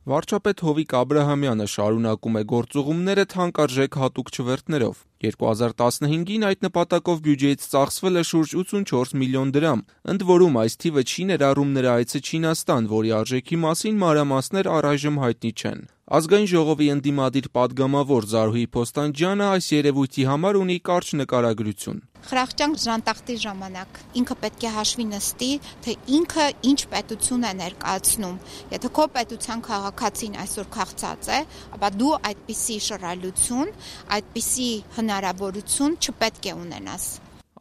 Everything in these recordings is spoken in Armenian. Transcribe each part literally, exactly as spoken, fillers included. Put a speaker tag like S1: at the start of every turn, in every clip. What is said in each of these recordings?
S1: Վարչապետ Հովիկ Աբրահամյանը շարունակում է գործուղումները թանկարժեք հատուկ չվերթներով։ երկու հազար տասնհինգին այդ նպատակով բյուջեից ծախսվել է շուրջ ութսունչորս միլիոն դրամ, ընդ որում այս թիվը չի ներառում նրա այցը Չինաստան, որի արժեքի մասին մանրամասներ առայժմ հայտնի չեն։ Ազգային ժողովի ընդդիմադիր պատգամավոր Զարուհի Փոստանջյանը այս երևույթի համար ունի կարճ նկարագրություն։
S2: Խրախճան ժանտախտի ժամանակ ինքը պետք է հաշվի նստի, թե ինքը ինչ պետություն է ներկայացնում։ Եթե քո պետության քաղաքացին այսօր քաղցած է, ապա դու այդպիսի շռայլություն, այդպիսի հնարավորություն չպետք է ունենաս։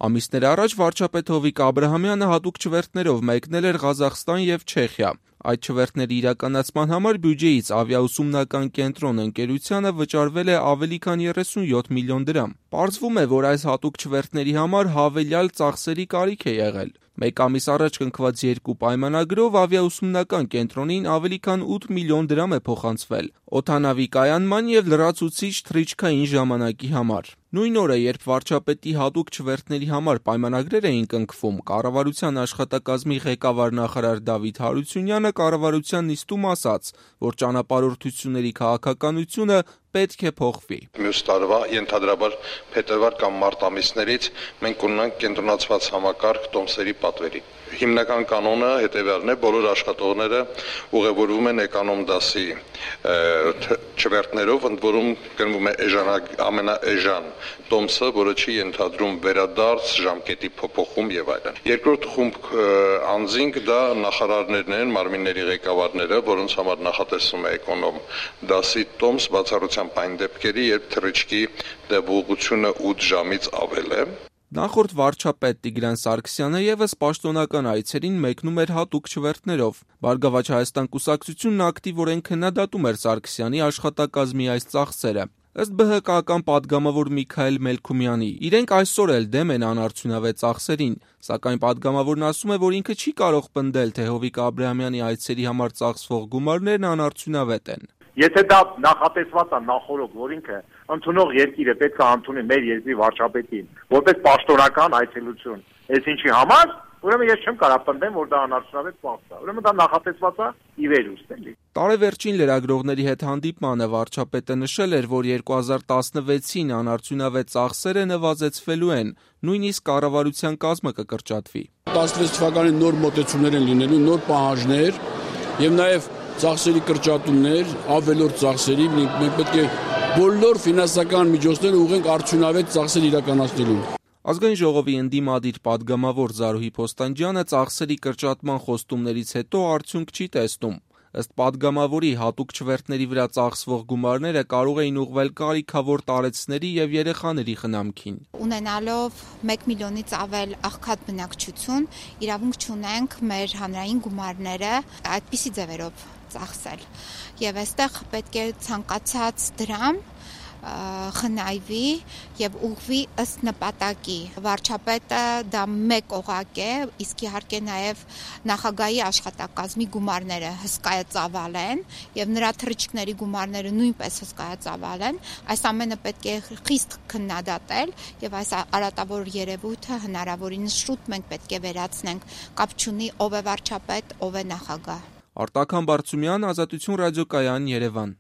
S1: Ամիսներ առաջ վարչապետ Հովիկ Աբրահամյանը հատուկ չվերթներով մեկնել էր Ղազախստան եւ Չեխիա։ Այդ չվերթների իրականացման համար բյուջեից ավիաուսումնական կենտրոն ընկերությանը վճարվել է ավելի քան երեսունյոթ միլիոն դրամ։ Պարզվում է, որ այս հատուկ չվերթների համար հավելյալ ծախսերի կարիք է եղել։ Մեկ ամիս առաջ կնքված երկու պայմանագրով ավիաուսումնական կենտրոնին ավելի քան ութ միլիոն դրամ է փոխանցվել օդանավի կայանման եւ լրացուցիչ թռիչքային ժամանակի համար։ Նույն օրը, երբ վարչապետի հատուկ չվերթների համար պայմանագրեր էին կնքվում, կառավարության աշխատակազմի ղեկավար նախարար Դավիթ Հարությունյանը կառավարության նիստում ասաց, որ ճանապարհորդությունների քաղաքականությունը պետք է փոխվի։
S3: Մյուս տարվա ենթադրաբար փետրվար կամ մարտ ամիսներից մենք կունենանք կենտրոնացված համակարգ տոմսերի պատվերի։ Հիմնական կանոնը հետևյալն է՝ բոլոր աշխատողները ուղևորվում են էկոնոմ դասի չվերթներով, ընդ որում գնվում է էժան ամենաէժան տոմսը, որը չի ենթադրում վերադարձ, ժամկետի փոփոխում եւ այլն։ Երկրորդ խումբ անձինք դա նախարարներն են, մարմինների ղեկավարները, որոնց համար նախատեսվում է էկոնոմ դասի տոմս բացառությամբ այն դեպքերի, երբ թռիչքի տևողությունը ութ ժամից ավել է։
S1: Նախորդ վարչապետ Տիգրան Սարգսյանը եւս պաշտոնական այցերին մեկնում էր հատուկ չվերթներով։ Բարգավաճ Հայաստան կուսակցությունն ակտիվորեն քննադատում էր Սարգսյանի աշխատակազմի այս ծախսերը։ Ըստ Բ Հ Կ-ական պատգամավոր Միքայել Մելքումյանի, իրենք այսօր էլ դեմ են անարդյունավետ ծախսերին, սակայն պատգամավորն ասում է, որ ինքը չի կարող պնդել, թե Հովիկ Աբրահամյանի այցերի համար ծախսվող գումարներն անարդյունավետ են։
S4: Եթե դա նախատեսված է նախորոք, որ ինքը ընդունող երկիրը պետք է ընդունի մեր երկրի վարչապետին, որպես պաշտոնական այցելություն, այս ինչի համար, ուրեմն ես չեմ կարող պնդեմ, որ դա անարդյունավետ ծախս է։ Ուրեմն դա նախատեսված է ի վերուստ էլի։
S1: Տարեվերջին լրագրողների հետ հանդիպմանը վարչապետը նշել էր, որ երկու հազար տասնվեցին անարդյունավետ ծախսերը նվազեցվելու են, նույնիսկ կառավարության կազմը կկրճատվի։
S5: տասնվեց թվականին նոր մոտեցումներ են լինելու, նոր պահանջներ եւ նաեւ ծախսերի կրճատումներ, ավելորդ ծախսերի, մենք պետք է բոլոր ֆինանսական միջոցները ուղղենք արդյունավետ ծախսեր իրականացնելուն։
S1: Ազգային ժողովի ընդդիմադիր պատգամավոր Զարուհի Փոստանջյանը ծախսերի կրճատման խոստումներից հետո արդյունք չի տեսնում։ Ըստ պատգամավորի, հատուկ չվերթների վրա ծախսվող գումարները կարող էին ուղղվել կարիքավոր տարեցների եւ երեխաների խնամքին։
S2: Ունենալով մեկ միլիոնից ավել աղքատ բնակչություն, իրավունք չունենք մեր հանրային գումարները այդպիսի ձևերով ծախսել։ Եվ այստեղ պետք է ցանկացած դրամ խնայվի եւ ուղղվի ըստ նպատակի։ Վարչապետը դա մեկ օղակ է, իսկ իհարկե նաեւ նախագահի աշխատակազմի գումարները հսկայածավալ են եւ նրա թռիչքների գումարները նույնպես հսկայածավալ են։ Այս ամենը պետք է խիստ քննադատել եւ այս արատավոր երևույթը հնարավորինս շուտ մենք պետք է վերացնենք։ Կապ չունի ով է վարչապետ, ով է նախագահ։
S1: Արտակ Համբարձումյան, Ազատություն ռադիոկայան, Երևան։